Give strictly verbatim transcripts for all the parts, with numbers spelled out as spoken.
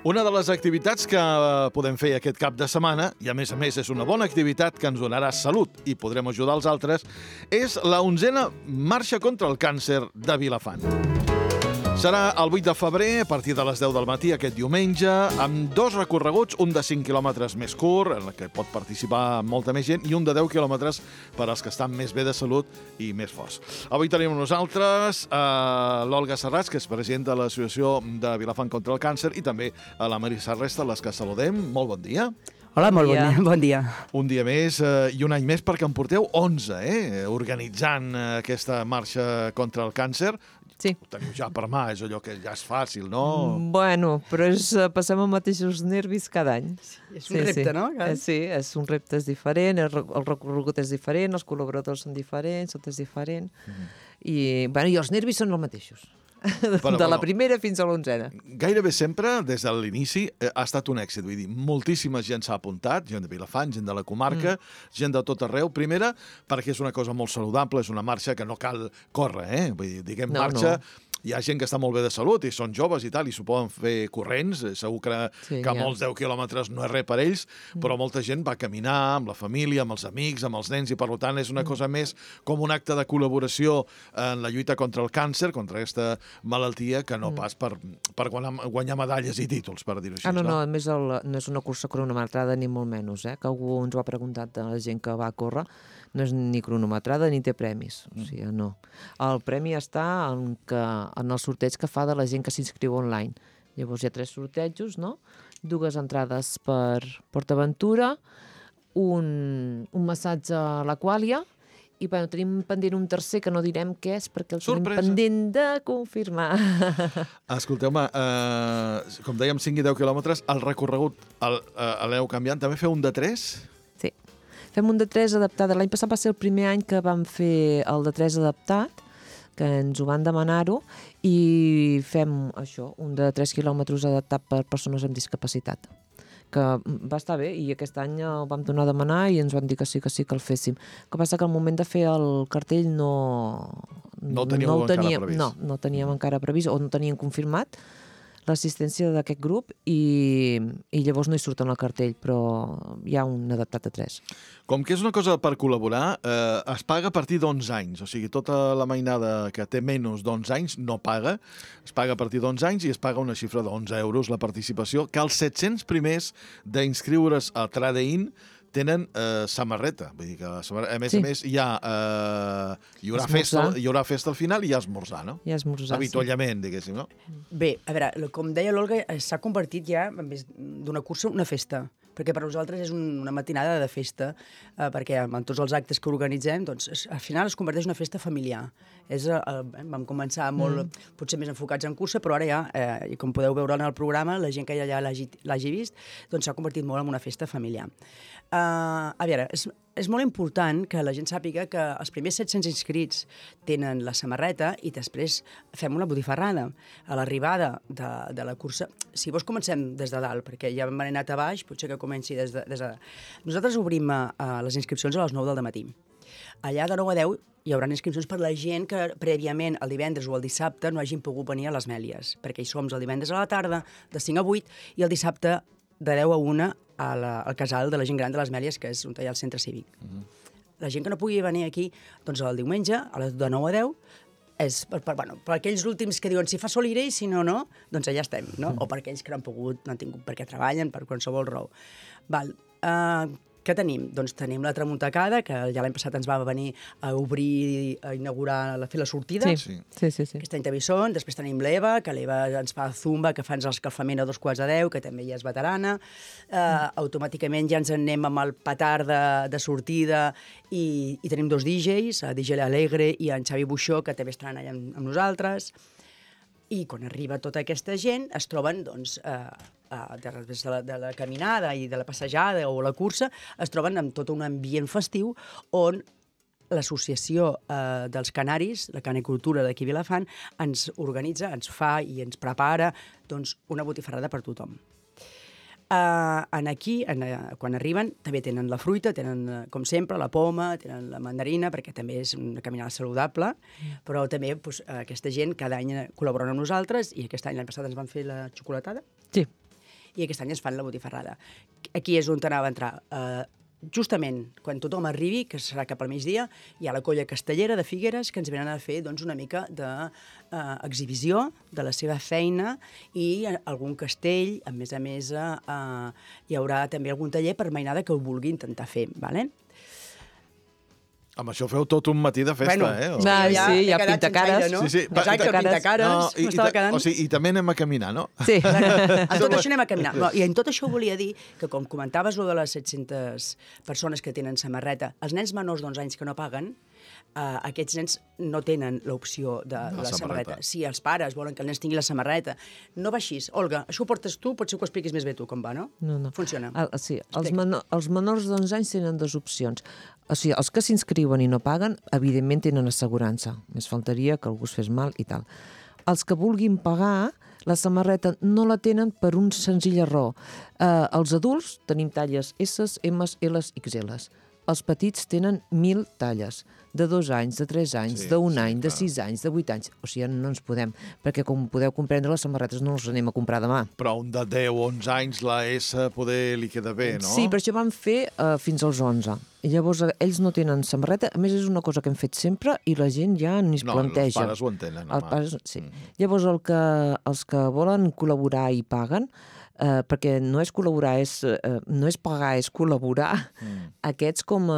Una de les activitats que podem fer aquest cap de setmana, i a més a més és una bona activitat que ens donarà salut i podrem ajudar els altres, és la onzena Marxa contra el Càncer de Vilafant. Serà el vuit de febrer, a partir de les deu del matí, aquest diumenge, amb dos recorreguts, un de cinc quilòmetres més curt, en què pot participar molta més gent, i un de deu quilòmetres per als que estan més bé de salut i més forts. Avui tenim nosaltres eh, l'Olga Serrats, que és president de l'Associació de Vilafant contra el Càncer, i també a la Marisa Resta, les que saludem. Molt bon dia. Hola, molt bon dia. Bon dia. Un dia més eh, i un any més perquè en porteu onze, eh? Organitzant eh, aquesta marxa contra el càncer. Sí. Ho teniu ja per mà, és allò que ja és fàcil, no? Bueno, però és, passem els mateixos nervis cada any. És un sí, repte, sí. No? Eh, sí, és un repte és diferent, el, el recorregut és diferent, els col·laboradors són diferents, tot és diferent. Mm. I, bueno, i els nervis són els mateixos. Però, de la primera fins a l'onzena. Gairebé sempre, des de l'inici, ha estat un èxit. Vull dir, moltíssima gent s'ha apuntat, gent de Vilafant, gent de la comarca, mm. gent de tot arreu. Primera, perquè és una cosa molt saludable, és una marxa que no cal córrer, eh? Vull dir, diguem no, marxa... No. Hi ha gent que està molt bé de salut i són joves i tal, i s'ho poden fer corrents. Segur que, sí, que molts deu quilòmetres no és res per ells, mm. però molta gent va caminar amb la família, amb els amics, amb els nens, i per tant és una mm. cosa més com un acte de col·laboració en la lluita contra el càncer, contra aquesta malaltia, que no mm. pas per, per guanyar, guanyar medalles i títols, per dir-ho així. Ah, no, no, a més el, no és una cursa cronometrada ni molt menys, eh? Que algú ens ho ha preguntat de la gent que va córrer. No és ni cronometrada ni té premis, o sigui, no. El premi està en, que, en el sorteig que fa de la gent que s'inscriu online. Llavors hi ha tres sortejos, no? Dues entrades per PortAventura, un, un massatge a l'Aquàlia, i bueno, tenim pendent un tercer que no direm què és perquè el Sorpresa. Tenim pendent de confirmar. Escolteu-me, eh, com dèiem, cinc i deu quilòmetres, el recorregut l'heu canviant. També feu un de tres? Sí. Fem un de tres adaptat. L'any passat va ser el primer any que vam fer el de tres adaptat, que ens ho van demanar-ho, i fem això, un de tres quilòmetres adaptat per persones amb discapacitat, que va estar bé, i aquest any el vam tornar a demanar i ens van dir que sí, que sí, que el féssim. El que passa que al moment de fer el cartell no... No el teníeu no el encara teníem, previst. No, no teníem encara previst, o no teníem confirmat l'assistència d'aquest grup, i, i llavors no hi surt en el cartell, però hi ha un adaptat a tres. Com que és una cosa per col·laborar, eh, es paga a partir d'onze anys. O sigui, tota la mainada que té menys d'onze anys no paga. Es paga a partir d'onze anys i es paga una xifra d'onze euros la participació, que els set-cents primers d'inscriure's a Tradein tenen eh, samarreta. Vull dir que, a més sí. a més, hi ha, eh, hi, haurà festa, hi haurà festa al final i hi ha esmorzar, no? Hi ha esmorzar, avituallament, sí. diguéssim, no? Bé, a veure, com deia l'Olga, s'ha convertit ja, en vez d'una cursa, una festa. Perquè per nosaltres és un, una matinada de festa, eh, perquè en tots els actes que organitzem, doncs, es, al final es converteix en una festa familiar. És, eh, vam començar molt, mm. potser més enfocats en cursa, però ara ja, eh, i com podeu veure en el programa, la gent que ja l'hagi vist, doncs s'ha convertit molt en una festa familiar. Eh, a veure, és, és molt important que la gent sàpiga que els primers set-cents inscrits tenen la samarreta i després fem una botifarrada. A l'arribada de, de la cursa, si vols comencem des de dalt, perquè ja hem anat a baix, potser que comenci des de... Des de... Nosaltres obrim a, a les inscripcions a les nou del matí. Allà de nou a deu hi haurà inscripcions per la gent que prèviament el divendres o el dissabte no hagin pogut venir a les Mèlies, perquè hi som el divendres a la tarda, de cinc a vuit, i el dissabte de deu a una a la, al casal de la gent gran de les Mèlies, que és on hi ha el centre cívic. Uh-huh. La gent que no pugui venir aquí, doncs el diumenge, a les de nou a deu, és per, per, bueno, per aquells últims que diuen si fa sol iré i si no, no, doncs allà estem, no? Uh-huh. O per aquells que no han pogut, no han tingut perquè treballen, per qualsevol raó. Val. Uh, Què tenim? Doncs tenim la Tramuntacada, que ja l'any passat ens va venir a obrir, a inaugurar, a fer la sortida. Sí, sí, sí. sí. Aquest any també són. Després tenim l'Eva, que l'Eva ens fa zumba, que fa l'escalfament a dos quarts de deu, que també ja és veterana. Uh, mm. Automàticament ja ens en anem amb el petard de, de sortida i, i tenim dos D Js, D J Alegre i en Xavi Buixó, que també estaran allà amb, amb nosaltres. I quan arriba tota aquesta gent es troben, doncs, eh, eh, després de la, de la caminada i de la passejada o la cursa, es troben amb tot un ambient festiu on l'associació eh, dels canaris, la canicultura d'aquí Vilafant, ens organitza, ens fa i ens prepara doncs, una botifarrada per tothom. Uh, en aquí, en, uh, quan arriben, també tenen la fruita, tenen, uh, com sempre, la poma, tenen la mandarina, perquè també és una caminada saludable, mm. però també pues, uh, aquesta gent cada any col·laboren amb nosaltres, i aquest any, l'any passat, ens van fer la xocolatada. Sí. i aquest any ens fan la botifarrada. Aquí és on anava a entrar. Eh, justament quan tothom arribi, que serà cap al migdia, hi ha la colla castellera de Figueres que ens venen a fer doncs, una mica d'exhibició de, eh, de la seva feina i algun castell, a més a més eh, eh, hi haurà també algun taller per mainada que ho vulgui intentar fer, d'acord? Amb això feu tot un matí de festa, bueno, eh? O... Ah, ja, sí, ja he quedat pintacares. sense aire, no? Sí, sí. Exacte, pintacares, No, i, i, m'estava quedant... o sigui, I també anem a caminar, no? Sí. En tot això anem a caminar. No, I en tot això volia dir que, com comentaves, lo de les set-centes persones que tenen samarreta, els nens menors d'onze anys que no paguen, Uh, aquests nens no tenen l'opció de la, la samarreta. samarreta. Si els pares volen que el nen tingui la samarreta, no va així. Olga, això ho portes tu, potser que ho expliquis més bé tu, com va, no? No, no. Funciona. El, sí, els, menor, els menors d'onze anys tenen dues opcions. O sigui, els que s'inscriuen i no paguen, evidentment tenen assegurança. Més faltaria que algú es fes mal i tal. Els que vulguin pagar, la samarreta no la tenen per un senzill error. Uh, els adults tenim talles S, M, L, X L. Els petits tenen mil talles, de dos anys, de tres anys, sí, d'un sí, any, de clar. sis anys, de vuit anys. O sigui, no ens podem, perquè com podeu comprendre, les samarretes no les anem a comprar demà. Però un de deu o onze anys, la S poder li queda bé, no? Sí, per això vam fer uh, fins als onze. I llavors eh, ells no tenen samarreta. A més, és una cosa que hem fet sempre i la gent ja ni es no, planteja. els pares ho entenen. Els pares, sí. Mm. Llavors, el que, els que volen col·laborar i paguen, Uh, perquè no és col·laborar, és, uh, no és pagar, és col·laborar. Mm. Aquests, com a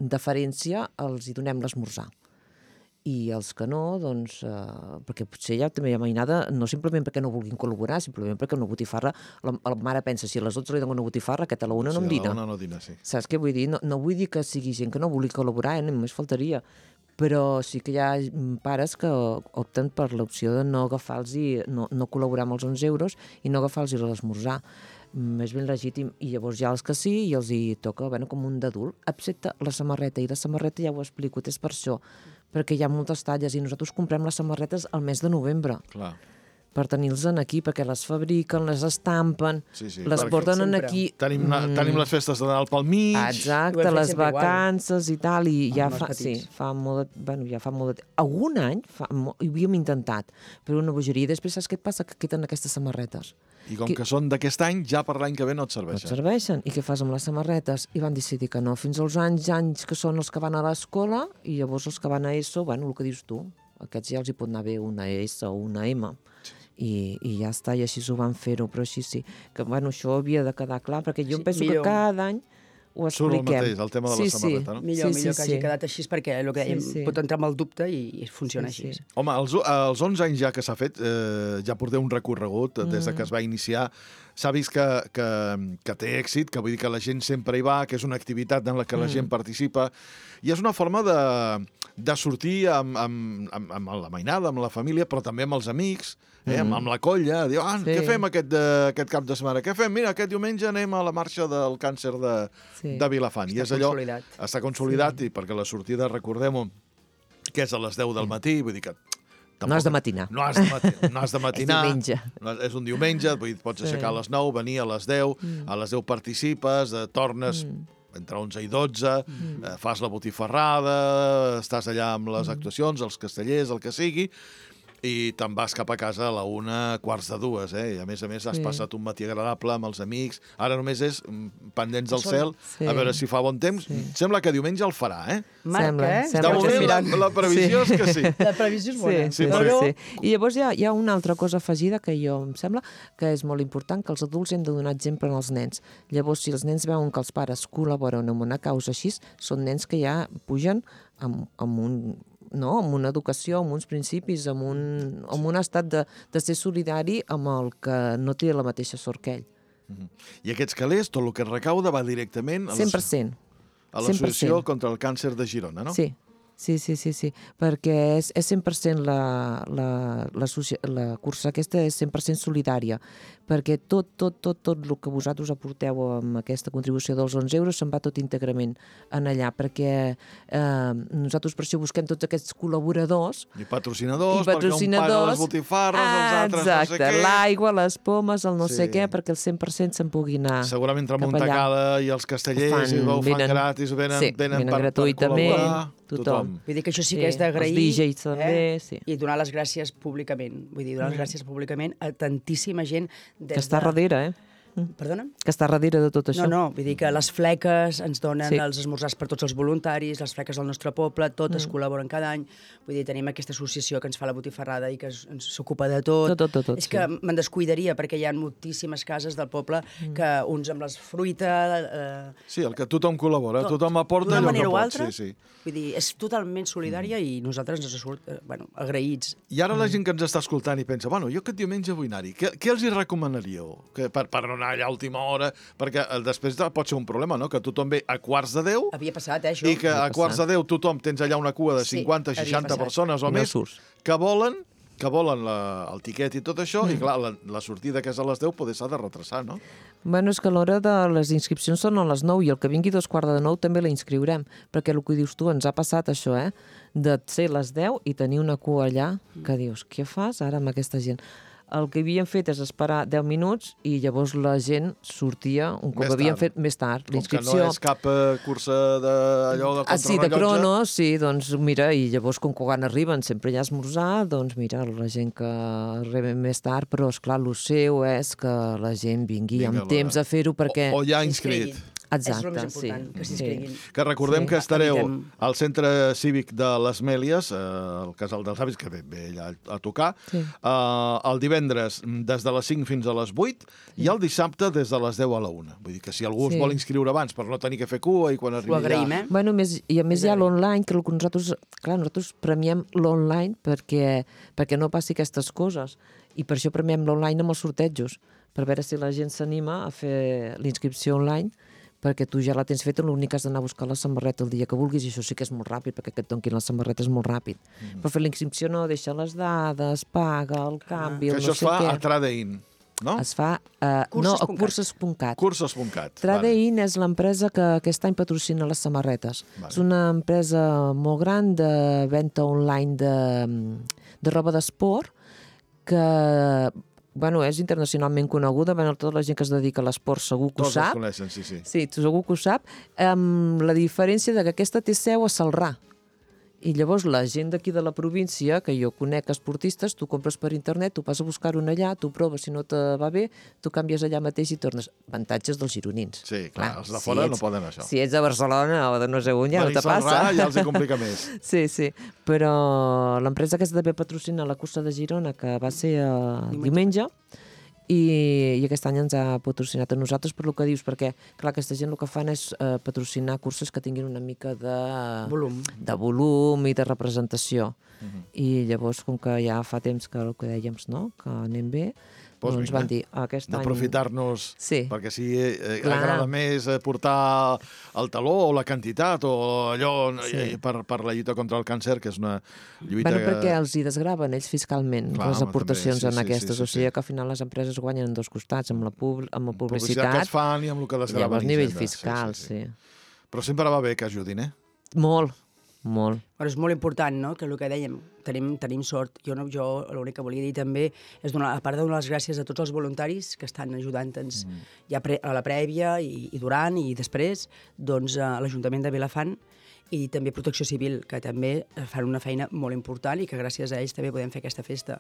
deferència, els hi donem l'esmorzar. I els que no, doncs, uh, perquè potser ja també hi ha mainada, no simplement perquè no vulguin col·laborar, simplement perquè una botifarra, la, la mare pensa, si a les dotze li dono una botifarra, aquest a la una sí, no em dina. Sí, a la una no dina, sí. Saps què vull dir? No, no vull dir que sigui gent que no vulgui col·laborar, eh? Només faltaria. Però sí que hi ha pares que opten per l'opció de no agafar-los i no, no col·laborar amb els onze euros i no agafar-los l'esmorzar. És ben legítim. I llavors hi ha els que sí i els hi toca bueno, com un d'adult, excepte la samarreta. I la samarreta ja ho explico, és per això, perquè hi ha moltes talles i nosaltres comprem les samarretes al mes de novembre. Clar. Per tenir-los aquí, perquè les fabriquen, les estampen, sí, sí, les porten sempre. aquí... Tenim, mm. tenim les festes de Nadal pel mig... Exacte, les vacances igual. I tal, i ja fa, sí, fa molt de... Bueno, ja fa molt de... Algun any fa, molt, ho havíem intentat, però una bogeria. Després saps què et passa? Que queden aquestes samarretes. I com que, que són d'aquest any, ja per l'any que ve no et serveixen. No et serveixen. I què fas amb les samarretes? I van decidir que no. Fins als anys, anys que són els que van a l'escola, i llavors els que van a ESO, bueno, el que dius tu, aquests ja els hi pot anar bé una S o una M. I, i ja està, i així ho van fer-ho, però així sí, que bueno, això havia de quedar clar, perquè jo sí, em penso millor. que cada any ho expliquem. Surt el mateix, el tema de sí, la samarreta, sí. no? Millor, sí, millor sí, que hagi sí. quedat així, perquè el que dèiem Sí, sí. pot entrar amb el dubte i, i funciona Sí, així. sí. Home, als, als onze anys ja que s'ha fet, eh, ja porteu un recorregut mm. des de que es va iniciar. S'ha vist que, que, que té èxit, que vull dir que la gent sempre hi va, que és una activitat en la que la gent Mm. participa, i és una forma de, de sortir amb, amb, amb, amb la mainada, amb la família, però també amb els amics, eh, amb, amb la colla, dir, ah, Sí. què fem aquest, de, aquest cap de setmana? Què fem? Mira, aquest diumenge anem a la marxa del càncer de, Sí. de Vilafant. Està I és allò, consolidat. està consolidat, sí. I perquè la sortida, recordem-ho, que és a les deu del matí, vull dir que tampoc, No has de matinar. No has de, mati no has de matinar. És diumenge. No, és un diumenge, vull dir, pots Sí. aixecar a les nou, venir a les deu, mm. a les deu participes, eh, tornes mm. entre onze i dotze, mm. eh, fas la botifarrada, estàs allà amb les actuacions, els castellers, el que sigui, i te'n vas cap a casa a la una, quarts de dues, eh? I a més a més has Sí. passat un matí agradable amb els amics. Ara només és mm, pendents del Són- cel, Sí. a veure si fa bon temps. Sí. Sembla que diumenge el farà, eh? Marc, Sembla, eh? sembla De que moment, sí. la, la previsió Sí. és que sí. La previsió és bona. Sí, sí, però- sí, sí. I llavors hi ha, hi ha una altra cosa afegida que jo em sembla que és molt important, que els adults hem de donar exemple als nens. Llavors, si els nens veuen que els pares col·laboren amb una causa així, són nens que ja pugen amb, amb un no? amb una educació, amb uns principis, amb un, amb un estat de, de ser solidari amb el que no té la mateixa sort que ell. I aquests calés, tot el que es recauda va directament a cent per cent. l'Associació cent per cent. contra el Càncer de Girona, no? Sí, sí, sí, sí, sí. perquè és, és cent per cent la, la, la, la cursa aquesta és cent per cent solidària, perquè tot, tot, tot, tot el que vosaltres aporteu amb aquesta contribució dels onze euros se'n va tot íntegrament en allà, perquè eh, nosaltres per això busquem tots aquests col·laboradors I patrocinadors, i patrocinadors, perquè un paga les botifarres, els altres exacte, no sé què. l'aigua, les pomes, el no Sí. sé què, perquè el cent per cent se'n pugui anar. Segurament cap Tramuntacada i els castellers Ho fan, i ho fan venen- gratis, venen, sí, venen venen per, per gratuïtament. col·laborar. tothom. Vull dir que això sí Sí, que és d'agrair. els D Js també, sí. I donar les gràcies públicament. Vull dir, donar les gràcies públicament a tantíssima gent des Que està de... darrere, eh? Perdona? Que està darrere de tot això. No, no, vull dir que les fleques ens donen Sí. els esmorzars per tots els voluntaris, les fleques del nostre poble, totes mm. col·laboren cada any. Vull dir, tenim aquesta associació que ens fa la botifarrada i que es- ens s'ocupa de tot. Tot, tot, tot, tot, És sí. que me'n descuidaria, perquè hi ha moltíssimes cases del poble Mm. que uns amb les fruita... Eh, Sí, el que tothom col·labora, tot, tothom aporta d'una allò que manera o pot. altra. Sí, sí. Vull dir, és totalment solidària i nosaltres ens surt, eh, bueno, agraïts. I ara la gent que ens està escoltant i pensa, bueno, jo aquest diumenge vull anar-hi, què, què els hi recomanaríeu que, per, per no anar allà a última hora? Perquè eh, després de, pot ser un problema, no?, que tothom ve a quarts de deu Havia passat, eh, això? i que a quarts de deu tothom tens allà una cua de Sí, cinquanta, havia seixanta passat. persones o I no més surts. que volen que volen la, el tiquet i tot això, mm. i clar, la, la sortida que és a les deu poder s'ha de retrasar, no? Bueno, és que a l'hora de les inscripcions són a les nou i el que vingui dos quarts de nou també la inscriurem, perquè el que dius tu, ens ha passat això, eh? De ser les deu i tenir una cua allà que dius, què fas ara amb aquesta gent? El que havíem fet és esperar deu minuts i llavors la gent sortia un cop Més havíem tard. fet més tard. Com que L'inscripció... no és cap eh, cursa d'allò de Ah, sí, de contrarrellotge. crono, sí, doncs mira, i llavors com que quan arriben sempre hi ha esmorzar, doncs mira, la gent que arriba més tard, però esclar, el seu és que la gent vingui Vinga, amb temps va. a fer-ho perquè... O, o ja S'inscriguin. inscrit. Exacte, és el més important, sí. que Sí. s'inscriguin. Que recordem Sí. que estareu Evitem. al Centre Cívic de les Mèlies, eh, al Casal dels Avis, que ve, ve allà a tocar, Sí. eh, el divendres des de les cinc fins a les vuit i el dissabte des de les deu a la una. Vull dir que si algú Sí. es vol inscriure abans per no tenir que fer cua i quan arribi Ho agraïm, eh? Bueno, més, i a més hi ha l'online, que el que nosaltres, clar, nosaltres premiem l'online perquè, perquè no passi aquestes coses. I per això premiem l'online amb els sortejos, per veure si la gent s'anima a fer l'inscripció online, perquè tu ja la tens feta, l'únic que has d'anar a buscar la samarreta el dia que vulguis, i això sí que és molt ràpid, perquè que et donquin la samarreta és molt ràpid. Mm. Però fer la inscripció no, deixa les dades, paga el canvi, Que el això no es sé fa què. a Tradein, no? Es fa... Eh, Curses no, a punt cat. curses punt cat. Cursos punt cat. Tradein és l'empresa que aquest any patrocina les samarretes. Vale. És una empresa molt gran de venda online de, de roba d'esport que bueno, és internacionalment coneguda. Bueno, tota la gent que es dedica a l'esport segur que ho Tots els sap. coneixen, sí, sí. Sí, segur que ho sap. Amb la diferència de que aquesta té seu a Celrà. I llavors la gent d'aquí de la província, que jo conec esportistes, tu compres per internet, tu vas a buscar-ho allà, tu proves, si no te va bé, tu canvies allà mateix i tornes. Avantatges dels gironins. Sí, clar, els de fora no poden això. Si ets de Barcelona o de no sé on, ja no te Benissanrà passa. ja els hi complica més. Sí, sí, però l'empresa aquesta també patrocina la cursa de Girona, que va ser uh, diumenge, i, i aquest any ens ha patrocinat a nosaltres per lo que dius, perquè, clar, aquesta gent el que fan és uh, patrocinar curses que tinguin una mica de Volum. de volum i de representació. Uh -huh. I llavors, com que ja fa temps que el que dèiem, no?, que anem bé, Pues doncs vinga, van dir, aquest any... d'aprofitar-nos, Sí. perquè si eh, Clar. agrada més eh, portar el taló o la quantitat o allò Sí. eh, per, per la lluita contra el càncer, que és una lluita... Bueno, que... perquè els hi desgraven ells fiscalment, Clar, les home, aportacions també, sí, en sí, aquestes, sí, sí, o sigui sí. que al final les empreses guanyen en dos costats, amb la, pub amb la publicitat publicitat, que es fan i amb el que i desgraven llavors a nivell Hisenda. fiscal, sí, sí. Però sempre va bé que ajudin, eh? Molt, molt. Però és molt important, no?, que el que dèiem, tenim, tenim sort. Jo, no, jo l'únic que volia dir també és donar, a part de donar les gràcies a tots els voluntaris que estan ajudant-nos mm. ja pre, a la prèvia i, i durant i després, doncs a l'Ajuntament de Vilafant i també Protecció Civil, que també fan una feina molt important i que gràcies a ells també podem fer aquesta festa.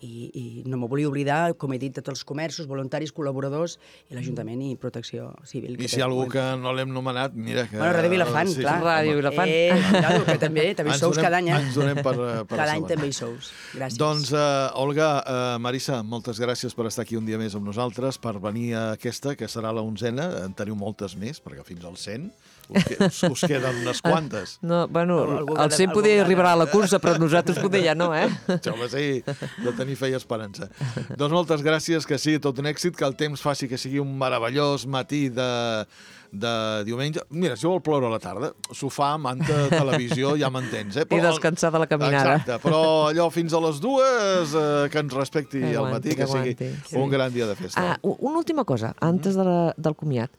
I, i no m'ho volia oblidar, com he dit, de tots els comerços, voluntaris, col·laboradors, i l'Ajuntament i Protecció Civil. I si hi ha algú que no l'hem nomenat, mira que... Bueno, Ràdio Vilafant, sí, clar. sí, Ràdio home. Vilafant. Eh, cuidado, que també, també hi Ens sous donem- cada any, eh? Ens donem per, per Cada any assabentar. també hi sous. Gràcies. Doncs, uh, Olga, uh, Marissa, moltes gràcies per estar aquí un dia més amb nosaltres, per venir a aquesta, que serà la onzena. En teniu moltes més, perquè fins al cent us, que, us, us queden unes quantes. No, bueno, Algú el que- cent algú poder que- arribar a la cursa, però nosaltres poder ja no, eh? Home, sí, de tenir fe i esperança. Doncs moltes gràcies, que sigui tot un èxit, que el temps faci que sigui un meravellós matí de, de diumenge. Mira, si vol ploure a la tarda, sofà, manta, televisió, ja m'entens, eh? I descansar de la caminada. Exacte, però allò fins a les dues, eh, que ens respecti Que al aguanti, matí, que, que sigui aguanti. un gran dia de festa. Ah, u- una última cosa, antes de la, del comiat.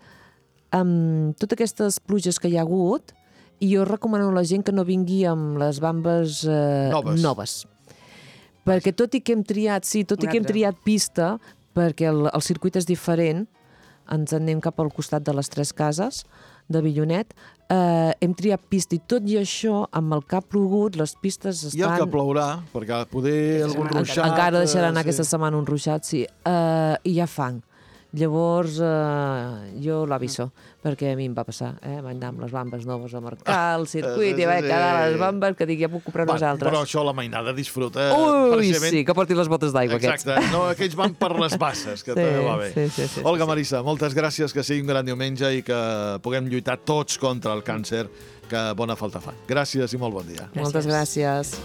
Amb totes aquestes pluges que hi ha hagut, jo recomano a la gent que no vingui amb les bambes eh, Noves. noves. Perquè tot i que hem triat, sí, tot i Un que hem altre. triat pista, perquè el, el circuit és diferent, ens anem cap al costat de les Tres Cases, de Avillonet. Eh, hem triat pista i tot i això, amb el que ha plogut, les pistes estan... I el que plourà, perquè poder algun ruixat... Encara deixarà anar sí. aquesta setmana un ruixat, sí. Eh, I hi ha fang. Llavors, eh, jo l'aviso, perquè a mi em va passar, eh? Vaig anar amb les bambes noves a marcar el circuit i vaig quedar a les bambes que dic, ja puc comprar Va, unes altres. Però això la mainada disfruta. Ui, precisament... sí, que porti les botes d'aigua, aquests. Exacte, no, aquells van per les basses, que Sí, també va bé. sí, sí, sí, Olga sí. Marissa, moltes gràcies, que sigui un gran diumenge i que puguem lluitar tots contra el càncer, que bona falta fa. Gràcies i molt bon dia. Moltes gràcies.